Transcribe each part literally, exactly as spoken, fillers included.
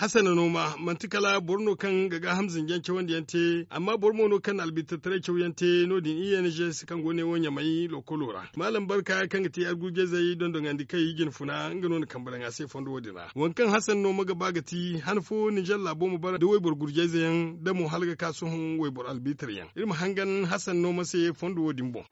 Hasana nooma manti kala boro no kaŋ ga gaaham zinjaŋ cawandi yaŋ te, amma boro mo no kaŋ na albitattaray caw yaŋ te no- din i n g s kaŋ go ne wo ɲamay lokolo ra. Maalam barka kaŋ ga ti argujayzey dondoŋandi kay jinfuna nga no na kambe daŋ a se fondo wo- din ra. Waŋ kaŋ hasana nooma ga ba ga ti han fo ninzeer laabo ma bara da wayboro gurjayze yaŋ da mo hala ga ka sohõ wayboro albitir yaŋ. Iri ma hangan hasana nooma se fondo wo- din boŋ.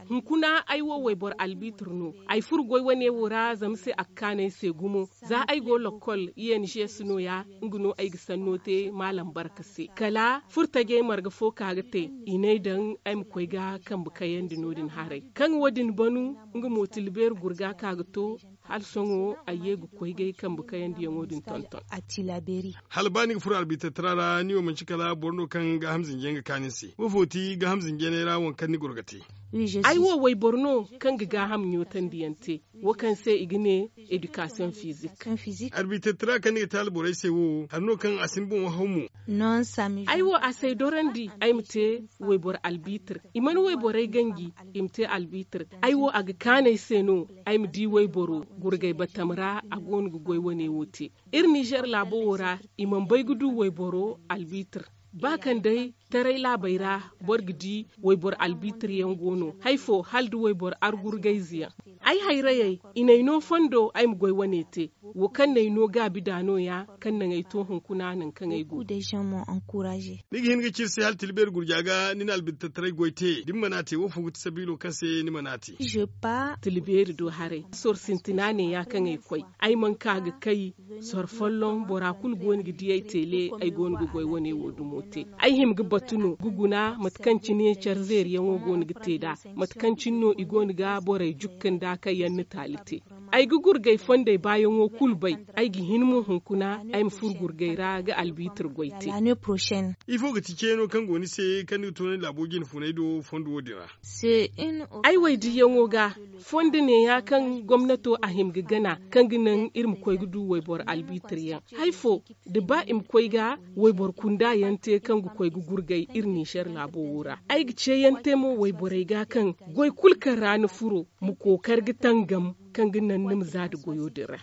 Hunkuna ay wo wayboro albitir no. Ay furo goy wane wo ra zama se a ga kaanu ay se gumo. Za ay go lokol i n g s no- ya, nga no ay ga sanno te maalam barka se kala furo tajey marga fo ka ga te. I n'ay daŋ ay ma koy ga kambe kayandi no- din haray kaŋ wo- din banu. Nga mo tilbeeri gurga ka ga to hala sohõ ay ye ga koy ga ay kambe kayandiyaŋo din tonton. Hala ba ni ga furo albitattara ra ni wo manci kala boro no kaŋ gaaham zinjey ga kaanu ni se wo fo ti gaaham zinjey ra waŋ kaŋ ni goro ga te? Ay wo wayboro no kaŋ ga gaaham ɲootandi yaŋ te, wo kaŋ se i ga ne edikasiyoŋ fizik. Arbitattara kaŋ ni ga te alborey se wo hari no kaŋ a si ni boŋ wahamo. Ay wo a si ay dorandi ay ma te wayboro albitir. I mana wayborey ganji i ma te albitir. Ay wo a ga kaanu ay se no ay ma di wayboro gurgay batam ra a go no ga goy wane wo te. Iri ninzeer laabo wo ra i mana bay ga du wayboro albitir. Ba kaŋ day taray laabey ra boro ga di wayboro albitir yaŋ go no hari fo hala da wayboro argurgayze yaŋ. Ay hayrayey i n'ay no fondo ay ma goy wane te. Wo kaŋ n'ay no gaabi da no- ya kaŋ naŋ ay to hunkuna nangu kaŋ ay go. Ni ga hin ga ci iri se hala tilbeeri gurja ga ni na albitattaray goy te da ni mana te wo fo ga ti sabiilo kaŋ se ni mana te? Tilbeeri do haray soro sintina ne- ya kaŋ ay koy. Ay mana ka ga kay soro folloŋ bora kulu go no ga di ay teele. Ay go no ga goy wane wo dumo te. Ay hima ga batu no ga guna mate kaŋ cine care zeeriyaŋo go no ga te nd'a. Mate kaŋ cine no i go no ga borey jukka nda kaŋ yaŋ na taali te. Ay ga gurgay fondey baayaŋo kulu bay. Ay ga hin mo hunkuna ay ma furo gurgay ra ga albitir goy te. Ifo ga ti ceeno kaŋ go ni se kaŋ ni ga to ni laabo jine funay do fondo wo- din ra? Ay waydiyaŋo ga fondo neeya kaŋ gomnato a hima ga gana kaŋ ga naŋ iri ma koy ga du wayboro albitir yaŋ. Hari fo da ba i ma koy ga wayboro kunda yaŋ te kaŋ ga koy ga gurgay iri ninzeer laabo wo ra. Ay ga ceeyaŋ te mo wayborey ga kaŋ goy kulu kaŋ ra ni furo ma kookari ga tangam kaŋ ga naŋ ni ma za nda goyo din ra.